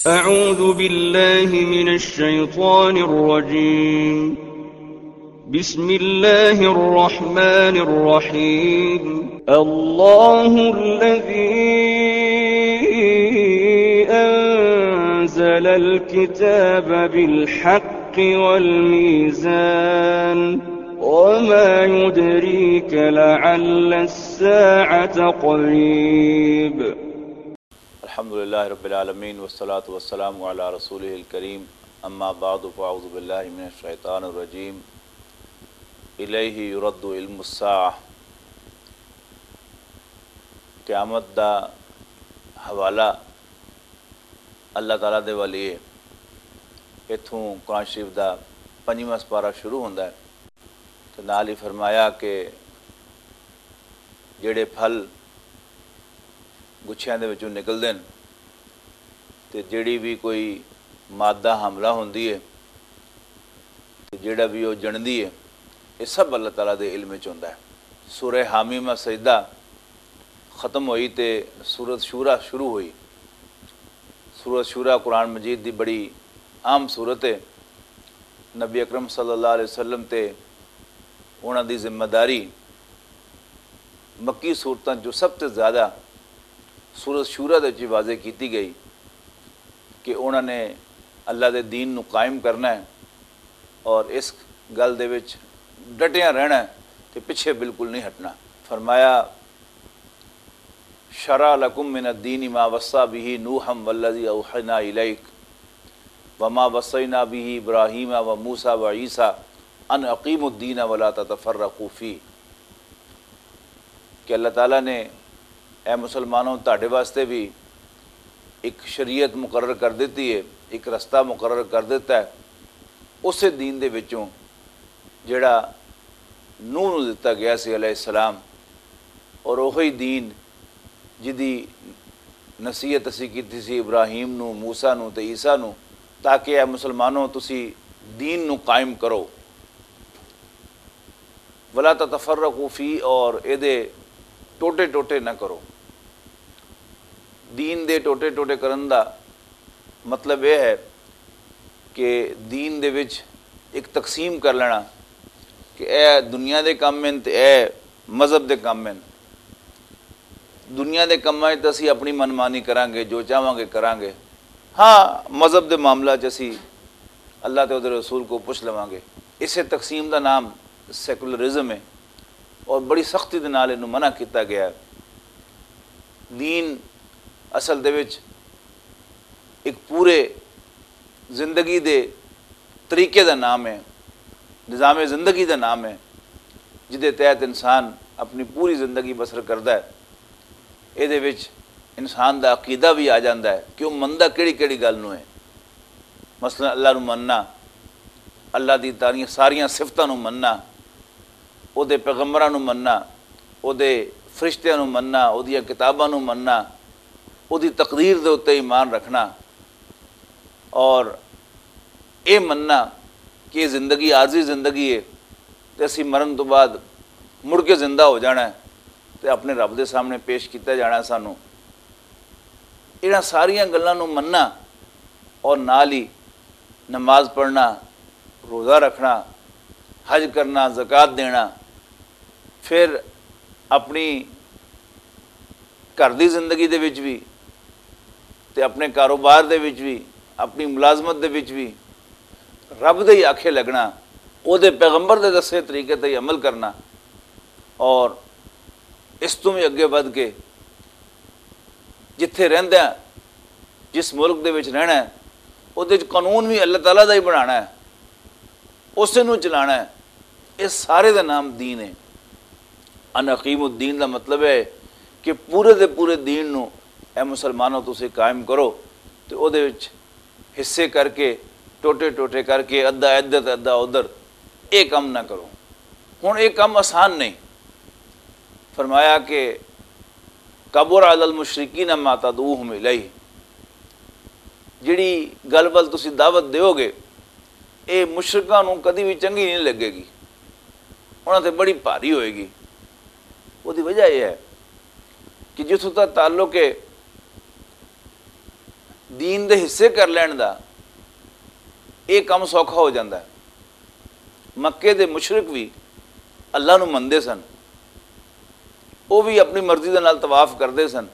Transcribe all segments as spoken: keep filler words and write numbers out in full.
أعوذ بالله من الشيطان الرجيم. بسم الله الرحمن الرحيم. الله الذي أنزل الكتاب بالحق والميزان. وما يدريك لعل الساعة قريب. الحمد لله رب العالمين، والصلاة والسلام على رسوله الكريم. أما بعد، فأعوذ بالله من الشيطان الرجيم. إليه يرد علم الساعة. قیامت دا حوالہ اللہ تعالیٰ دے والی ہے۔ اتھوں قرآن شریف دا پنجواں سپارہ شروع ہوندا ہے۔ تے نال ہی فرمایا کہ جڑے پھل گچھیاں دے وچوں نکلدے نے، تے جڑی بھی کوئی مادہ حاملہ ہوندی ہے، تے جڑا بھی او جنمدی ہے، یہ سب اللہ تعالیٰ دے علم وچ ہوندا ہے۔ سورہ حامیمہ سجدہ ختم ہوئی تے سورت شورا شروع ہوئی۔ سورت شورا قرآن مجید دی بڑی اہم سورت ہے۔ نبی اکرم صلی اللہ علیہ وسلم تے انہاں دی ذمہ داری مکی صورتاں چوں سب تے زیادہ سورت شورا دے وچ واضح کیتی گئی کہ انہاں نے اللہ دے دین نو قائم کرنا ہے اور اس گل دے وچ ڈٹیاں رہنا ہے تے پچھے بالکل نہیں ہٹنا۔ فرمایا، شرع لکم من الدین ما وصی به نوحا والذی اوحینا الیک وما وصینا به ابراہیم و موسی و عیسی ان اقیموا الدین ولا تتفرقوا فیہ۔ کہ اللہ تعالیٰ نے، اے مسلمانوں، تہاڈے واسطے بھی ایک شریعت مقرر کر دیتی ہے، ایک رستہ مقرر کر دیتا ہے، اسے دین دے وچوں جڑا نوح نوں دتا گیا سی علیہ السلام، اور وہی دین جدی نصیحت اسی کیتی سی ابراہیم نوں، موسیٰ نوں تے عیسیٰ نوں، تاکہ اے مسلمانوں، تسی دین نوں قائم کرو۔ ولا تتفرقوا فی، اور اے دے ٹوٹے ٹوٹے نہ کرو۔ دین دے ٹوٹے ٹوٹے کرن دا مطلب اے ہے کہ دین دے وچ ایک تقسیم کر لینا کہ اے دنیا دے کم ہن تے اے مذہب دے کم ہن۔ دنیا دے کماں وچ تاں اسی اپنی من مانی کراں گے، جو چاہواں گے کراں گے۔ ہاں، مذہب دے معاملہ چ اسی اللہ تے اودے رسول کو پوچھ لواں گے۔ اسے تقسیم دا نام سیکولرزم ہے اور بڑی سختی دے نال اینوں منع کیتا گیا ہے۔ دین اصل دے وچ ایک پورے زندگی دے طریقے دا نام ہے، نظام زندگی دا نام ہے، جدے تحت انسان اپنی پوری زندگی بسر کردا ہے۔ اے دے وچ انسان دا عقیدہ بھی آ جاندا ہے کہ وہ مندا کیڑی کیڑی گل نوں ہے۔ مثلاً اللہ نوں مننا، اللہ دی تاریاں ساریاں صفتاں نوں مننا، او دے پیغمبراں نوں مننا، او دے فرشتیاں نوں مننا، او دیاں کتاباں نوں مننا، او دی تقدیر دے اُتے ایمان رکھنا، اور اے مننا کہ اے زندگی عارضی زندگی ہے تے اسی مرن تو بعد مڑ کے زندہ ہو جانا ہے تے اپنے رب دے سامنے پیش کیتا جانا ہے سانوں۔ انہاں ساریاں گلاں نوں مننا اور نال ہی نماز پڑھنا، روزہ رکھنا، حج کرنا، زکوٰۃ دینا، پھر اپنی گھر دی زندگی دے وچ بھی تے اپنے کاروبار دے وچ بھی، اپنی ملازمت دے وچ بھی رب دے ہی آکھے لگنا، او دے پیغمبر دے دسے طریقے تے ہی عمل کرنا، اور اس تو بھی اگے ودھ کے جتھے رہندے ہیں، جس ملک دے وچ رہنا ہے، اودے وچ قانون بھی اللہ تعالیٰ دا ہی بنانا ہے، اسے نوں چلانا ہے۔ اس سارے دا نام دین ہے۔ ان اقیم الدین دا مطلب ہے کہ پورے دے پورے دین نوں، اے مسلمانوں، تسی قائم کرو تے اودے وچ حصے کر کے، ٹوٹے ٹوٹے کر کے، ادھا ادھر تے ادھا ادھر، اے کم نہ کرو۔ ہن اے کم آسان نہیں۔ فرمایا کہ کبر علی المشرکین ما تدعوہم الیہ، جڑی گل ول تسی دعوت دیو گے، اے مشرکاں نوں کدی بھی چنگی نہیں لگے گی، انہاں تے بڑی بھاری ہوئے گی۔ اودی وجہ اے ہے کہ جتھوں تک تعلق ہے دین دے حصے کر لین دا یہ کم سوکھا ہو جاندا ہے۔ مکے دے مشرک بھی اللہ نو مندے سن، وہ بھی اپنی مرضی دے نال طواف کردے سن،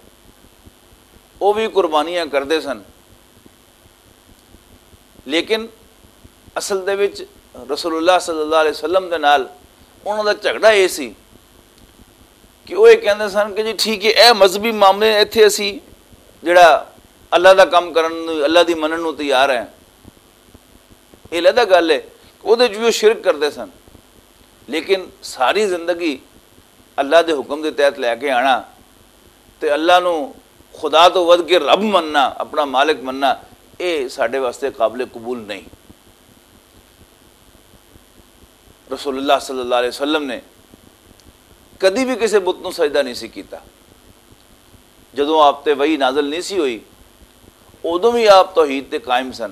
وہ بھی قربانیاں کردے سن، لیکن اصل دے وچ رسول اللہ صلی اللہ علیہ وسلم دے نال انہاں دا جھگڑا یہ سی کہ وہ یہ کہندے سن کہ جی ٹھیک ہے، اے مذہبی معاملے ایتھے اسی جڑا اللہ دا کم کرن نوں، اللہ دی منن نوں تیار ہیں، یہ علیحدہ گل ہے کہ وہ جو شرک کردے سن، لیکن ساری زندگی اللہ دے حکم دے تحت لے کے آنا تے اللہ نو خدا تو ودھ کے رب مننا، اپنا مالک مننا، اے ساڈے واسطے قابل قبول نہیں۔ رسول اللہ صلی اللہ علیہ وسلم نے کدی بھی کسی بت نو سجدہ نہیں سی کیتا۔ جدوں آپ تے وحی نازل نہیں سی ہوئی، ادوں بھی آپ توحید تے قائم سن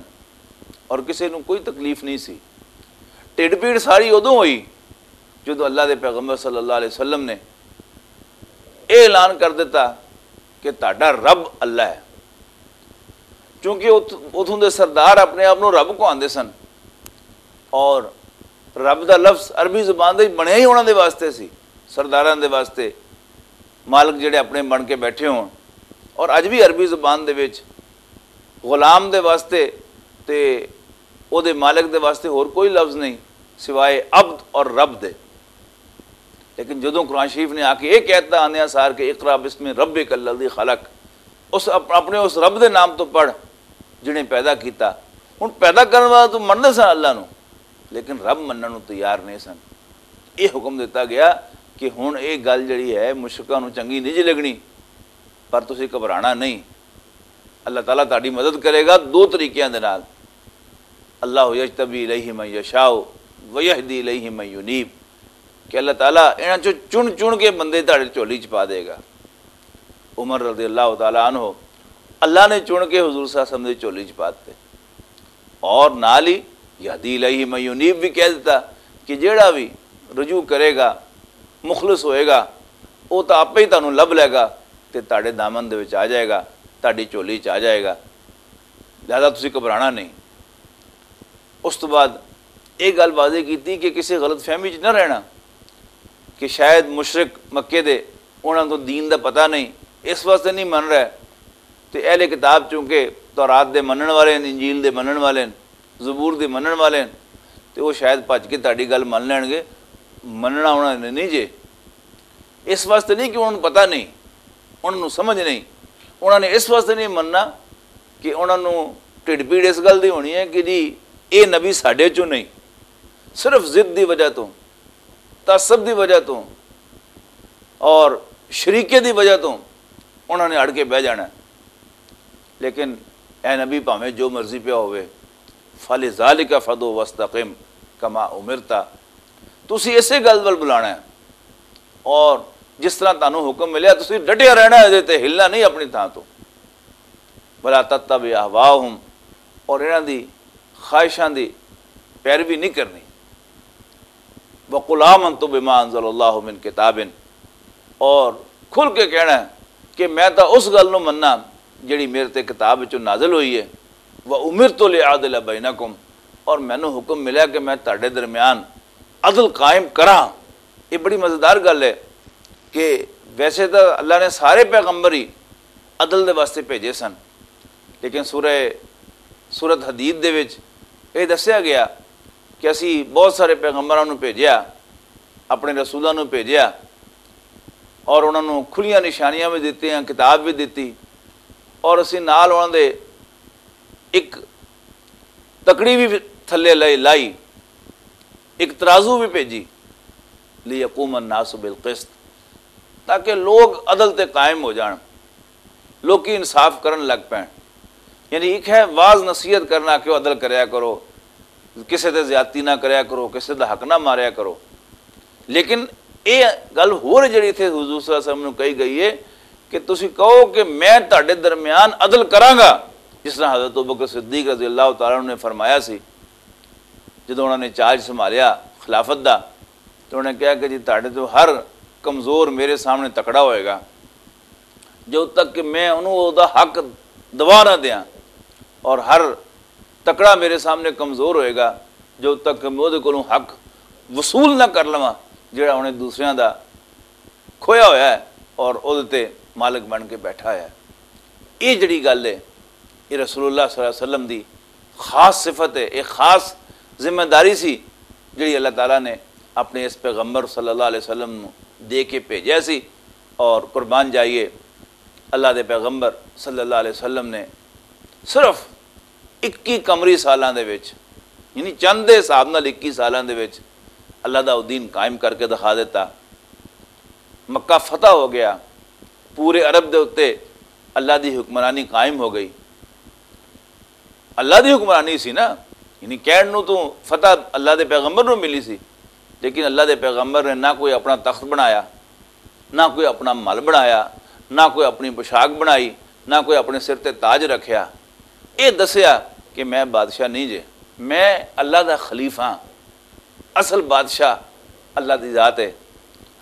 اور کسی نوں کوئی تکلیف نہیں سی۔ ٹڈ پیڑ ساری ادوں ہوئی جدوں اللہ دے پیغمبر صلی اللہ علیہ وسلم نے یہ اعلان کر دیتا کہ تہاڈا رب اللہ ہے۔ چونکہ ات- اتھوں دے سردار اپنے آپ نوں رب کو آندے سن، اور رب دا لفظ عربی زبان دے بنیا ہی انہاں دے واسطے سی، سرداراں دے واسطے، مالک جڑے اپنے بن کے بیٹھے ہون۔ اور اج بھی عربی زبان دے وچ غلام دے واسطے تے او دے مالک دے واسطے ہور کوئی لفظ نہیں سوائے عبد اور رب دے۔ لیکن جدوں قرآن شریف نے آ کے یہ کہتا آندیاں سار کہ "اقرا بسم ربک الذی خلق"، اس اپ-، اپنے اس رب دے نام تو پڑھ جنہیں پیدا کیتا۔ ہن پیدا کرن والا تو مننے سن اللہ نو، لیکن رب منن نو تیار نہیں سن۔ یہ حکم دیتا گیا کہ ہن یہ گل جڑی ہے مشرکاں نو چنگی نہیں جی لگنی، پر تسی گھبرانا نہیں، اللہ تعالیٰ تہاڈی مدد کرے گا دو طریقیاں دے نال۔ اللہ یجتبی الیہ من یشاء ویہدی الیہ من ینیب، کہ اللہ تعالیٰ انہاں چوں چن چن کے بندے تہاڈے جھولی چ پا دے گا۔ عمر رضی اللہ تعالیٰ عنہ، اللہ نے چن کے حضور صلی اللہ علیہ وسلم دی جھولی چ پا دتے۔ اور نال ہی یہدی الیہ من ینیب بھی کہہ دیتا کہ جیڑا بھی رجوع کرے گا، مخلص ہوئے گا، وہ تو آپ ہی تانوں لب لے گا تے تہاڈے دامن دے وچ آ جائے گا، تہاڈی جھولی چ آ جائے گا۔ لہذا تسی گھبرانا نہیں۔ اس تو بعد یہ گل واضح کیتی کہ کسی غلط فہمی چ نہ رہنا کہ شاید مشرک مکے دے، انہاں کو دین دا پتہ نہیں، اس واسطے نہیں من رہا۔ تے اہل کتاب چونکہ تورات دے منن والے ہیں، انجیل دے منن والے ہیں، زبور دے منن والے ہیں، تے وہ شاید بھج کے تہاڈی گل من لین گے۔ مننا انہاں نے نہیں جے، اس واسطے نہیں کہ انہاں نوں پتہ نہیں، انہاں نوں سمجھ نہیں، انہاں نے اس واسطے نہیں مننا کہ انہاں نوں ٹھڈ پیڑ اس گل دی ہونی ہے کہ جی، اے نبی ساڈے چوں نہیں، صرف ضد دی وجہ تو، تعصب دی وجہ تو اور شریکے دی وجہ تو انہاں نے اڑ کے بہ جانا ہے۔ لیکن اے نبی، بھاویں جو مرضی پیا ہوئے، فلذالک فدع واستقم کما امرت، تسی اسے گل ول بلانا ہے، اور جس طرح تانوں حکم ملیا، تسی ڈٹیا رہنا ہے، تے ہلنا نہیں اپنی تھاں تو۔ ولا تتبع اہواءہم، اور انہاں دی خواہشاں دی پیروی نہیں کرنی۔ وقل آمنت بما انزل اللہ من کتاب، اور کھل کے کہنا ہے کہ میں تاں اس گل نوں مننا جڑی میرے تے کتاب وچوں نازل ہوئی ہے۔ وامرت لاعدل بینکم، اور مینوں حکم ملیا کہ میں تہاڈے درمیان عدل قائم کراں۔ یہ بڑی مزیدار گل ہے کہ ویسے تاں اللہ نے سارے پیغمبر ہی عدل دے واسطے بھیجے سن، لیکن سورہ، سورت حدید دے وچ یہ دسیا گیا کہ اسی بہت سارے پیغمبراں نوں بھیجیا، اپنے رسولاں نوں بھیجیا، اور انہاں نوں کھلیاں نشانیاں بھی دتیاں، کتاب بھی دتی، اور اسی نال انہاں دے ایک تکڑی بھی تھلے لائی، لائی، ایک ترازو بھی بھیجی۔ لیقوم الناس بالقسط، تاکہ لوگ عدل تے قائم ہو جان، لوکی انصاف کرن لگ پین۔ یعنی ایک ہے واز نصیحت کرنا کہ عدل کریا کرو، کسے تے زیادتی نہ کریا کرو، کسے دا حق نہ ماریا کرو۔ لیکن اے گل ہور جڑی اتھے حضور صلی اللہ علیہ وسلم نوں کہی گئی ہے کہ تسی کہو کہ میں تہاڈے درمیان عدل کراں گا، جس طرح حضرت ابوبکر صدیق رضی اللہ تعالیٰ عنہ نے فرمایا سی۔ جدوں انہاں نے چارج سنبھالیا خلافت دا، تو انہوں نے کہا کہ جی تہاڈے تو ہر کمزور میرے سامنے تکڑا ہوئے گا، جب تک کہ میں انہوں او دا حق دوا نہ دیاں، اور ہر تکڑا میرے سامنے کمزور ہوئے گا، جو تک میں اودے کولوں حق وصول نہ کر لواں، جڑا انہیں دوسریاں دا کھویا ہویا ہے اور اودے تے مالک بن کے بیٹھا ہویا ہے۔ یہ جڑی گل ہے، یہ رسول اللہ صلی اللہ علیہ وسلم دی خاص صفت ہے، ایک خاص ذمہ داری سی، جڑی اللہ تعالیٰ نے اپنے اس پیغمبر صلی اللہ علیہ وسلم نوں دے کے بھیجیا سی۔ اور قربان جائیے، اللہ دے پیغمبر صلی اللہ علیہ وسلم نے صرف اکی قمری سالاں دے وچ، یعنی چند دے حساب نال اکی سالاں دے وچ اللہ دا او دین قائم کر کے دکھا دیتا۔ مکہ فتح ہو گیا، پورے عرب دے اُتے اللہ دی حکمرانی قائم ہو گئی۔ اللہ دی حکمرانی سی نا، یعنی کہن نوں تو فتح اللہ دے پیغمبر نوں ملی سی، لیکن اللہ دے پیغمبر نے نہ کوئی اپنا تخت بنایا، نہ کوئی اپنا مل بنایا، نہ کوئی اپنی پوشاک بنائی، نہ کوئی اپنے سر تے تاج رکھیا۔ اے دسیا کہ میں بادشاہ نہیں جے، میں اللہ دا خلیفہ ہاں۔ اصل بادشاہ اللہ دی ذات ہے۔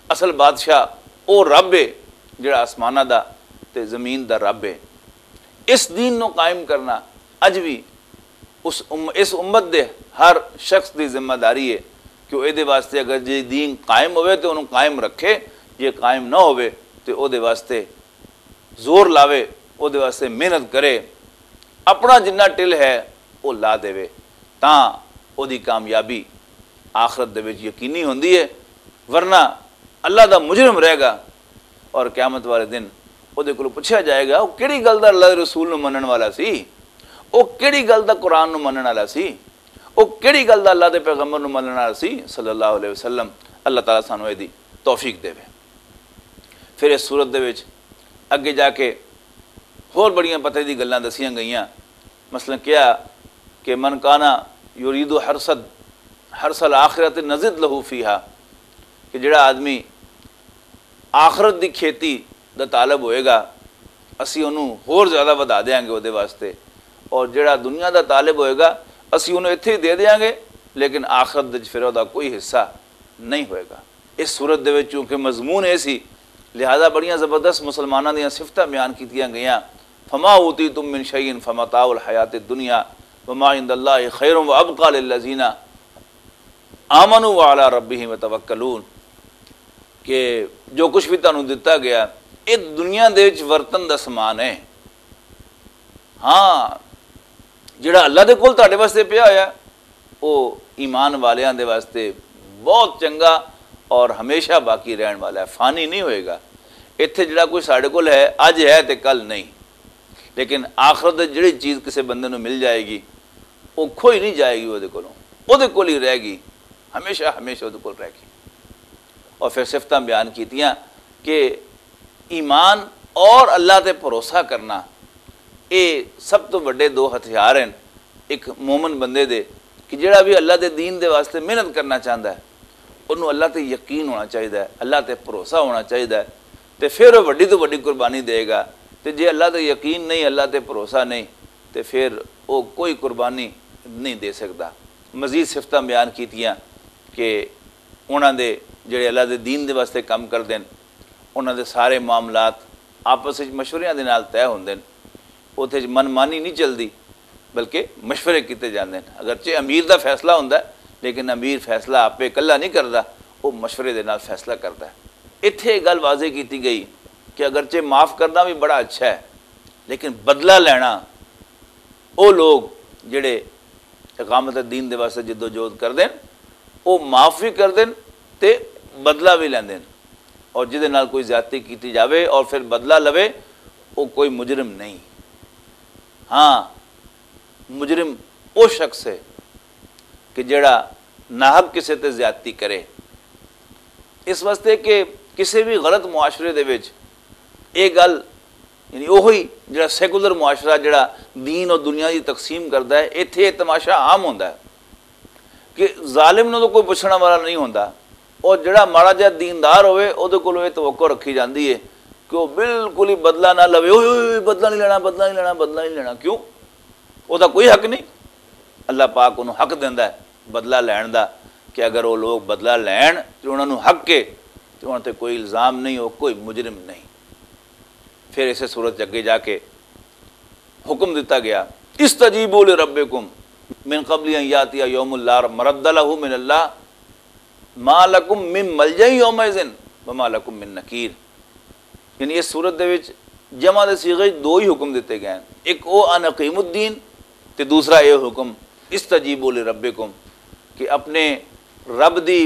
اصل بادشاہ او رب ہے جڑا آسمانہ دا تے زمین دا رب ہے۔ اس دین نو قائم کرنا اج بھی اس ام-، اس امت دے ہر شخص دی ذمہ داری ہے کہ او اے دے واسطے اگر جے دین قائم ہوئے تے انہوں قائم رکھے، جے قائم نہ ہوئے تے او دے واسطے زور لاوے، او دے واسطے محنت کرے، اپنا جنہ ٹل ہے او لا دے، تاں او دی کامیابی آخرت دے وچ یقینی ہوندی ہے۔ ورنہ اللہ دا مجرم رہے گا، اور قیامت والے دن او دے کولوں پوچھا جائے گا، او کیڑی گل دا اللہ دے رسول نوں منن والا سی؟ او کیڑی گل دا قرآن نوں منن والا سی؟ او کیڑی گل دا اللہ دے پیغمبر نوں منن والا سی، صلی اللہ علیہ وسلم؟ اللہ تعالیٰ سانوں اے دی توفیق دے۔ پھر اس صورت دے وچ اگے جا کے ہور بڑیاں پتہ دی گلاں دسیاں گئیاں۔ مثلاً کیا کہ من کانا یرید حرث حرث الآخرت نزد لہ فیہا، کہ جڑا آدمی آخرت دی کھیتی دا طالب ہوئے گا، اسی انہوں ہور زیادہ ودھا دیاں گے اودے واسطے، اور جڑا دنیا دا طالب ہوئے گا، اسی انہوں اتھے ہی دے دیاں گے، لیکن آخرت دے وچ پھر اودہ کوئی حصہ نہیں ہوئے گا۔ اس صورت دے وچ چونکہ مضمون اے سی، لہذا بڑیاں زبردست مسلماناں دیاں صفتاں بیان کیتیاں گئیاں، فما اوتیتم من شیء فمتاع الحیات الدنیا وما عند اللہ خیر وابقی للذین آمنوا وعلی ربہم یتوکلون، کہ جو کچھ بھی تانوں دتا گیا، اے دنیا دے وچ ورتن دا سامان ہے۔ ہاں، جڑا اللہ دے کول تہاڈے واسطے پیا ہویا، او ایمان والیاں دے واسطے بہت چنگا اور ہمیشہ باقی رہن والا ہے، فانی نہیں ہوئے گا۔ ایتھے جڑا کوئی ساڈے کول ہے، اج ہے تے کل نہیں، لیکن آخرت دے جڑی چیز کسے بندے نوں مل جائے گی، او کھوئی نہیں جائے گی، او دے کولوں، او دے کول ہی رہے گی، ہمیشہ ہمیشہ او دے کول رہے گی۔ اور پھر صفتاں بیان کیتیاں کہ ایمان اور اللہ تے بھروسہ کرنا، اے سب تو وڈے دو ہتھیار ہیں ایک مومن بندے دے، کہ جڑا بھی اللہ دے دین دے واسطے محنت کرنا چاہندا ہے، انہوں اللہ تے یقین ہونا چاہیدا ہے، اللہ تے بھروسہ ہونا چاہیدا ہے، تے پھر وہ وڈی تو وڈی قربانی دے گا۔ تے جے اللہ تے یقین نہیں، اللہ تے بھروسہ نہیں، تے پھر وہ کوئی قربانی نہیں دے سکدا۔ مزید صفتاں بیان کیتیاں کہ انہاں دے جڑے اللہ دے دین دے واسطے کم کردے نے، انہاں دے سارے معاملات آپس وچ مشوریاں دے نال طے ہوندے نے۔ اوتھے وچ من مانی نہیں چلدی، بلکہ مشورے کیتے جاندے نے۔ اگرچہ امیر دا فیصلہ ہوندا ہے، لیکن امیر فیصلہ آپے اکلا نہیں کردا، او مشورے دے نال فیصلہ کردا ہے۔ ایتھے یہ گل واضح کیتی گئی کہ اگرچہ معاف کرنا بھی بڑا اچھا ہے، لیکن بدلہ لینا، او لوگ جڑے اقامت دین دے واسطے جدوجہد کردے نے، او معاف بھی کردے نے تے بدلہ بھی لیندے نے۔ اور جدے نال کوئی زیادتی کیتی جاوے اور پھر بدلہ لوے، او کوئی مجرم نہیں۔ ہاں، مجرم او شخص ہے کہ جڑا ناحق کسے تے زیادتی کرے۔ اس واسطے کہ کسے بھی غلط معاشرے دے وچ اے گل، یعنی اوہی جڑا سیکولر معاشرہ جڑا دین اور دنیا دی تقسیم کردا ہے، ایتھے اے تماشا عام ہوندا ہے کہ ظالم نوں تو کوئی پچھنا والا نہیں ہوندا، اور جڑا ماڑا جہا دیندار ہوئے، اودے کولوں اے توقع رکھی جاندی ہے کہ وہ بالکل ہی بدلہ نہ لوے۔ اوئے، اوئے، اوئے، بدلہ نہیں لینا، بدلہ نہیں لینا، بدلہ نہیں لینا۔ کیوں؟ او دا کوئی حق نہیں۔ اللہ پاک انہوں حق دیندا ہے بدلہ لین دا، کہ اگر وہ لوگ بدلہ لین تے انہاں نوں حق ہے، تے انہاں تے کوئی الزام نہیں، وہ کوئی مجرم نہیں۔ پھر اسے صورت چ اگے جا کے حکم دتا گیا استجیبوا لربکم من قبل ان یاتی یوم لا مرد لہ من اللہ، ما لکم من ملجأ یومئذ وما لکم من نکیر۔ یعنی اس صورت دے وچ جمع دے صیغے وچ دو ہی حکم دتے گئے ہیں، ایک او ان اقیم الدین تے دوسرا اے حکم استجیبوا لربکم، کہ اپنے رب دی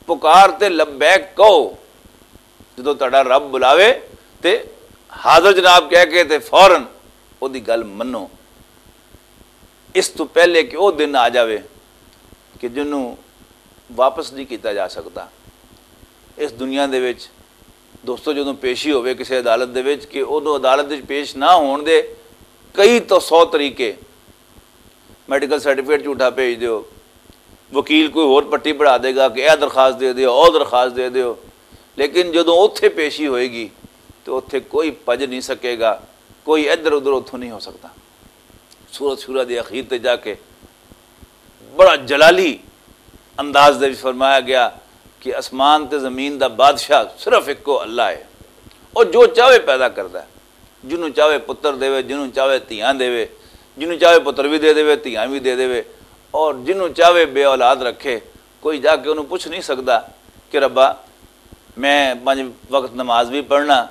پکار تے لبیک کہو۔ جدوں تہاڈا رب بلاوے تے حاضر جناب کہہ کے تے فوراً او دی گل منو۔ اس تو پہلے کہ او دن آ جاوے کہ جنوں واپس نہیں کیتا جا سکدا۔ اس دنیا دے وچ دوستو، جدوں پیشی ہووے کسی عدالت دے وچ، کہ اودوں عدالت وچ پیش نہ ہون دے کئی تو سو طریقے، میڈیکل سرٹیفکیٹ جھوٹا بھیج دیو، وکیل کوئی ہور پٹی پڑھا دے گا کہ اے درخواست دے دیو، او درخواست دے دیو۔ لیکن جدوں اوتھے پیشی ہوئے گی تو اوتھے کوئی پج نہیں سکے گا، کوئی ادھر ادھر اوتھوں نہیں ہو سکتا۔ سورت شورا دی اخیر تے جا کے بڑا جلالی انداز دے وچ فرمایا گیا کہ اسمان تے زمین دا بادشاہ صرف اکو اللہ ہے، اور جو چاہے پیدا کردا ہے، جنوں چاہے پتر دے، جنوں چاہے دھیاں دے، جنوں چاہے پتر بھی دے دے، دھیاں بھی دے دے، اور جنوں چاہے بے اولاد رکھے۔ کوئی جا کے انہوں پوچھ نہیں سکدا کہ ربا، میں پنج وقت نماز بھی پڑھنا،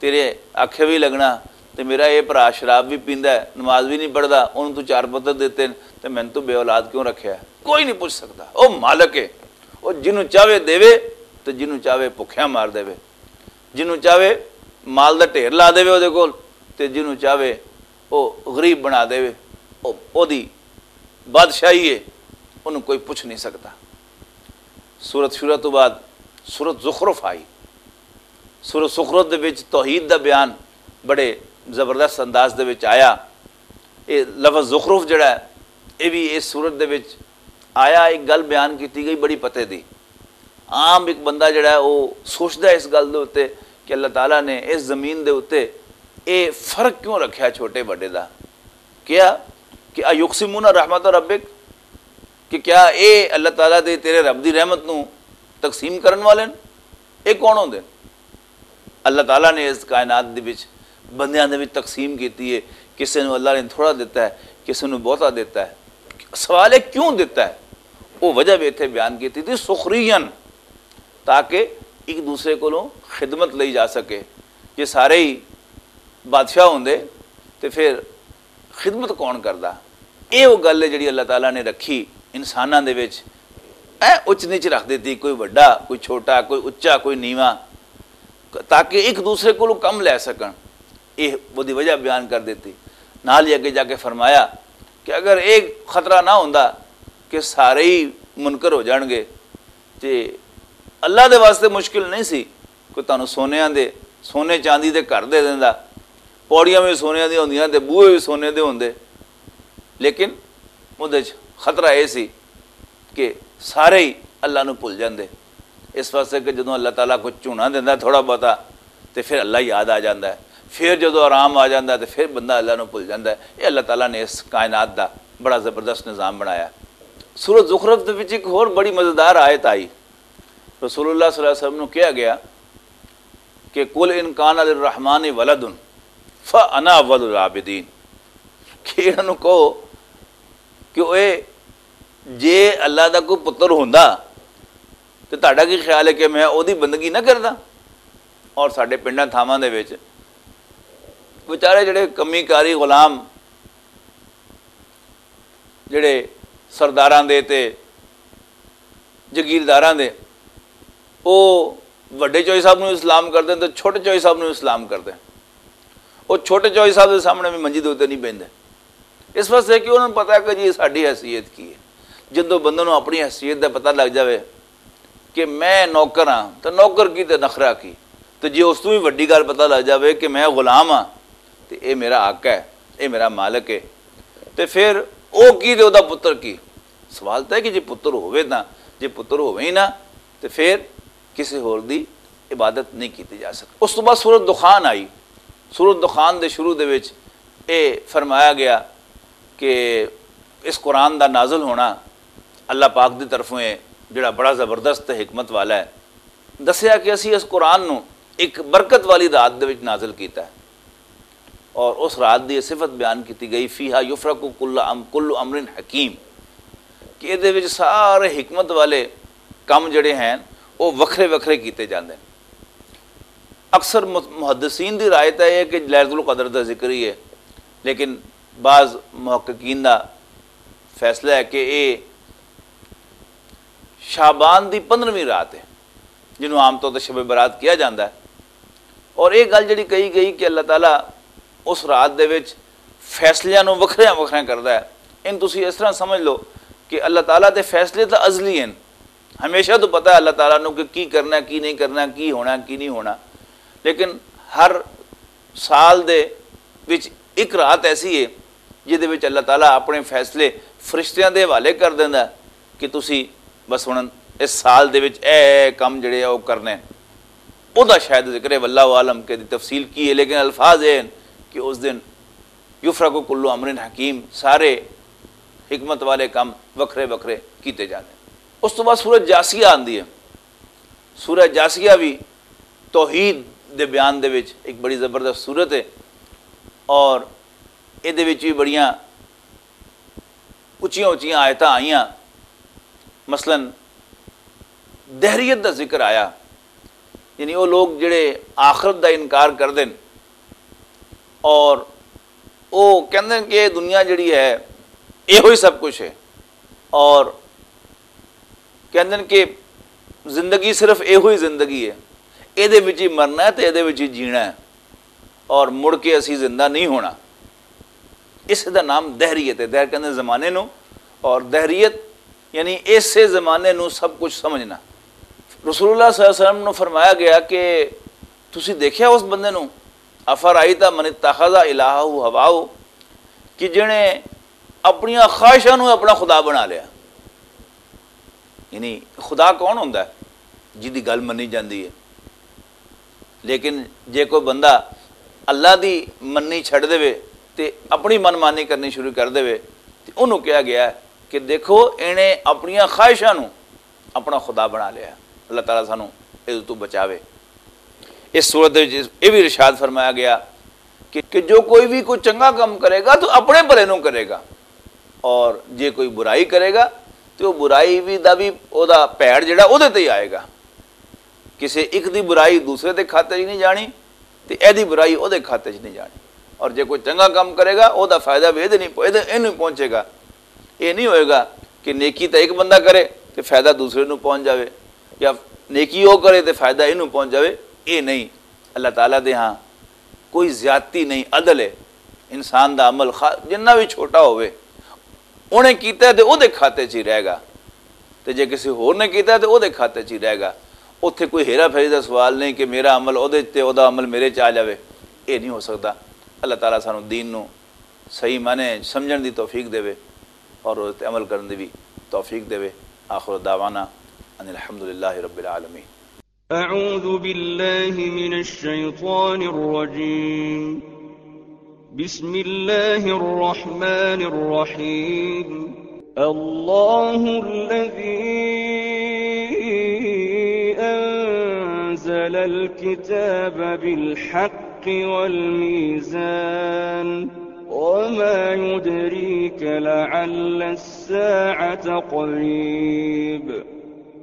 تیرے آکھے بھی لگنا، تے میرا یہ بھرا شراب بھی پیندا ہے، نماز بھی نہیں پڑھدا، انہوں تو چار پتر دتے نے، تے میں تو بے اولاد کیوں رکھیا ہے؟ کوئی نہیں پوچھ سکدا۔ او مالک ہے، او جنوں چاہے دے، تے جنوں چاہے بھکھیا مار دے، جنوں چاہے مال دا ڈھیر لا دے اودے کول، تے جنوں چاہے او غریب بنا دے۔ او اودی بادشاہی ہے، انہوں کوئی پوچھ نہیں سکدا۔ سورت شورا تو بعد سورت زخرف آئی۔ سورت زخرف دے وچ توحید دا بیان بڑے زبردست انداز دے وچ آیا۔ یہ لفظ زخرف جڑا ہے، یہ بھی اس سورت دے وچ آیا۔ ایک گل بیان کیتی گئی بڑی پتے دی۔ عام ایک بندہ جڑا ہے، وہ سوچدا ہے اس گل دے اُتے کہ اللہ تعالیٰ نے اس زمین دے اُتے یہ فرق کیوں رکھیا چھوٹے بڑے دا؟ کیا کہ ایقسمون رحمت ربک، کہ کیا اے اللہ تعالیٰ دے، تیرے رب دی رحمت نو تقسیم کرن والے نے؟ اے کون ہوندے نے؟ اللہ تعالیٰ نے اس کائنات دے وچ، بندیاں دے وچ تقسیم کیتی ہے۔ کسے نو اللہ نے تھوڑا دتا ہے، کسے نو بہتا دتا ہے۔ سوال ہے کیوں دتا ہے؟ وہ وجہ بھی اتھے بیان کیتی تھی، سخرین، تاکہ ایک دوسرے کولوں خدمت لئی جا سکے۔ جے سارے ہی بادشاہ ہوندے تے پھر خدمت کون کردا؟ اے او گل ہے جڑی اللہ تعالیٰ نے رکھی انساناں دے وچ۔ اے اچ نیچ رکھ دیتی، کوئی وڈا، کوئی چھوٹا، کوئی اچا، کوئی نیواں، تاکہ ایک دوسرے کولوں کم لے سکن۔ اے اودی وجہ بیان کر دیتی۔ نال ہی اگے جا کے فرمایا کہ اگر ایک خطرہ نہ ہوندا کہ سارے ہی منکر ہو جان گے، تے اللہ دے واسطے مشکل نہیں سی۔ کوئی تانوں سونیاں دے، سونے چاندی دے گھر دے دیندا، پوڑیاں وی سونیاں دیاں ہوندیاں تے بوئے وی سونے دے ہوندے۔ لیکن اودے وچ خطرہ اے سی کہ سارے ہی اللہ نوں بھل جاندے۔ اس واسطے کہ جدوں اللہ تعالیٰ کوئی جھونا دیندا ہے تھوڑا بہتا، تے پھر اللہ یاد آ جاندا ہے۔ پھر جدوں آرام آ جاندا ہے تے پھر بندہ اللہ نوں بھل جاندا ہے۔ یہ اللہ تعالیٰ نے اس کائنات دا بڑا زبردست نظام بنایا۔ سورۃ زخرف دے وچ ایک ہور بڑی مزیدار آیت آئی۔ رسول اللہ صلی اللہ علیہ وسلم نوں کہا گیا کہ "قل ان کان للرحمن ولد فانا اول العابدین"، کہ انہاں نوں کہو کہ اوئے، جے اللہ دا کوئی پتر ہوندا تے تہاڈا کی خیال ہے کہ میں اودی بندگی نہ کردا؟ اور ساڈے پنڈاں تھاواں دے وچ بیچارے جڑے کمی کاری غلام، جڑے سرداراں دے تے جگیرداراں دے، او وڈے چوئی صاحب نوں اسلام کردے تے چھوٹے چوئی صاحب نوں اسلام کردے۔ او چھوٹے چوئی صاحب دے سامنے بھی منجی دے اُتے نہیں بیندے، اس واسطے کہ انہاں نوں پتہ ہے کہ جی ساڈی حیثیت کی ہے۔ جدوں بندے نوں اپنی حیثیت دا پتہ لگ جاوے کہ میں نوکر ہاں، تے نوکر کی تے نخرہ کی، تے جے اس توں وی وڈی گل پتہ لگ جاوے کہ میں غلام ہاں، تے اے میرا حق ہے، اے میرا مالک ہے، تے پھر او کی تے او دا پتر کی؟ سوال تے ہے کہ جے پتر ہووے تاں، جے پتر ہووے ہی نہ، تے پھر کسے ہور دی عبادت نہیں کیتی جا سکتی۔ اس تو بعد سورۃ دخان آئی۔ سورۃ دخان دے شروع دے وچ اے فرمایا گیا کہ اس قرآن دا نازل ہونا اللہ پاک دی طرفوں ہے، جڑا بڑا زبردست تے حکمت والا ہے۔ دسیا کہ اسی اس قرآن نو ایک برکت والی رات دے وچ نازل کیتا ہے۔ اور اس رات دی یہ صفت بیان کیتی گئی، فیہا یفرق کل ام کل امر حکیم، کہ ادے وچ سارے حکمت والے کم جڑے ہیں، وہ وکھرے وکھرے کیتے جاندے ہیں۔ اکثر مح- محدثین دی رائے تاں یہ ہے کہ لیلۃ القدر دا ذکر ہی ہے، لیکن بعض محققین دا فیصلہ ہے کہ یہ شعبان دی پندرہویں رات ہے، جنہوں عام طور تے شب برات کیا جاندا ہے۔ اور یہ گل جڑی کہی گئی کہ اللہ تعالیٰ اس رات دے وچ فیصلیاں نوں وکھریاں وکھریاں کردا ہے، ان تسی اس طرح سمجھ لو کہ اللہ تعالیٰ دے فیصلے تاں ازلی ہیں، ہمیشہ تو پتہ ہے اللہ تعالیٰ نوں کہ کی کرنا ہے، کی نہیں کرنا، کی ہونا ہے، کی نہیں ہونا۔ لیکن ہر سال دے وچ ایک رات ایسی ہے جس دے وچ اللہ تعالیٰ اپنے فیصلے فرشتیاں دے حوالے کر دیندا ہے کہ تسی بس ہن اس سال دے وچ اے اے کم جڑے آ او کرنے۔ او دا شاید ذکر ہے، واللہ عالم کہ دی تفصیل کی ہے، لیکن الفاظ اے ہیں کہ اس دن یفرق کل امر حکیم، سارے حکمت والے کم وکھرے وکھرے کیتے جاندے۔ اس تو بعد سورہ جاسیہ آندی ہے۔ سورہ جاسیہ بھی توحید دے بیان دے وچ ایک بڑی زبردست سورت ہے، اور اے دے وچ بھی بڑیاں اچیاں اچیاں آیتاں آئیاں۔ مثلاً دہریت دا ذکر آیا، یعنی وہ لوگ جڑے آخرت دا انکار کر دین اور وہ کہندے نے کہ یہ دنیا جڑی ہے، یہ ہوئی سب کچھ ہے، اور کہندے نے کہ زندگی صرف ایہو ہی زندگی ہے، اے دے وچ ہی مرنا ہے تے اے دے وچ ہی جینا ہے، اور مڑ کے اسی زندہ نہیں ہونا۔ اس دا نام دہریت ہے۔ دہر کہندے زمانے نو، اور دہریت یعنی ایسے زمانے نو سب کچھ سمجھنا۔ رسول اللہ صلی اللہ علیہ وسلم نو فرمایا گیا کہ تسی دیکھیا اس بندے نو، افرائیت من اتخذ الہہ ہواہ، کہ جنے اپنیاں خواہشاں نو اپنا خدا بنا لیا۔ یعنی خدا کون ہوندا ہے؟ جدی گل منی جاندی ہے۔ لیکن جے کوئی بندہ اللہ دی منی چھڈ دے تے اپنی من مانی کرنی شروع کر دے، تے انہوں کہا گیا ہے کہ دیکھو، اینے اپنیاں خواہشاں نو اپنا خدا بنا لیا۔ اللہ تعالیٰ سانو اس تو بچاوے۔ اس صورت وچ یہ بھی ارشاد فرمایا گیا کہ، کہ جو کوئی بھی کوئی چنگا کام کرے گا تو اپنے بھلے نو کرے گا، اور جے کوئی برائی کرے گا تو وہ برائی بھی دا بھی، او دا پیڑ جڑا او دے تے ہی آئے گا۔ کسے ایک دی برائی دوسرے دے کھاتے چ نہیں جانی، تے اے دی برائی او دے کھاتے چ نہیں جانی۔ اور جے کوئی چنگا کام کرے گا، او دا فائدہ بھی اے دے نہیں، اے دے، اینوں پہنچے گا۔ یہ نہیں ہوئے گا کہ نیکی تے ایک بندہ کرے تے فائدہ دوسرے نوں پہنچ جاوے، یا نیکی او کرے تے فائدہ اینوں پہنچ جاوے۔ یہ نہیں، اللہ تعالیٰ دے ہاں کوئی زیادتی نہیں، عدل ہے۔ انسان دا عمل خا- جنہ بھی چھوٹا ہوئے، انہیں کیتا ہے تے او دے کھاتے چ ہی رہے گا، تے جے کسی ہور نے کیتا ہے تے او دے کھاتے چ ہی رہے گا۔ اوتھے کوئی ہیرا پھیری دا سوال نہیں کہ میرا عمل او دے تے او دا عمل میرے چ آ جاوے۔ یہ نہیں ہو سکتا۔ اللہ تعالیٰ سانو دین نو صحیح معنی سمجھن دی توفیق دے، اور اس تے عمل کرن دی بھی توفیق دے۔ آخر دعوانا ان الحمدللہ رب العالمین۔ أعوذ بالله من الشيطان الرجيم. بسم الله الرحمن الرحيم. الله الذي أنزل الكتاب بالحق والميزان. وما يدريك لعل الساعة قريب.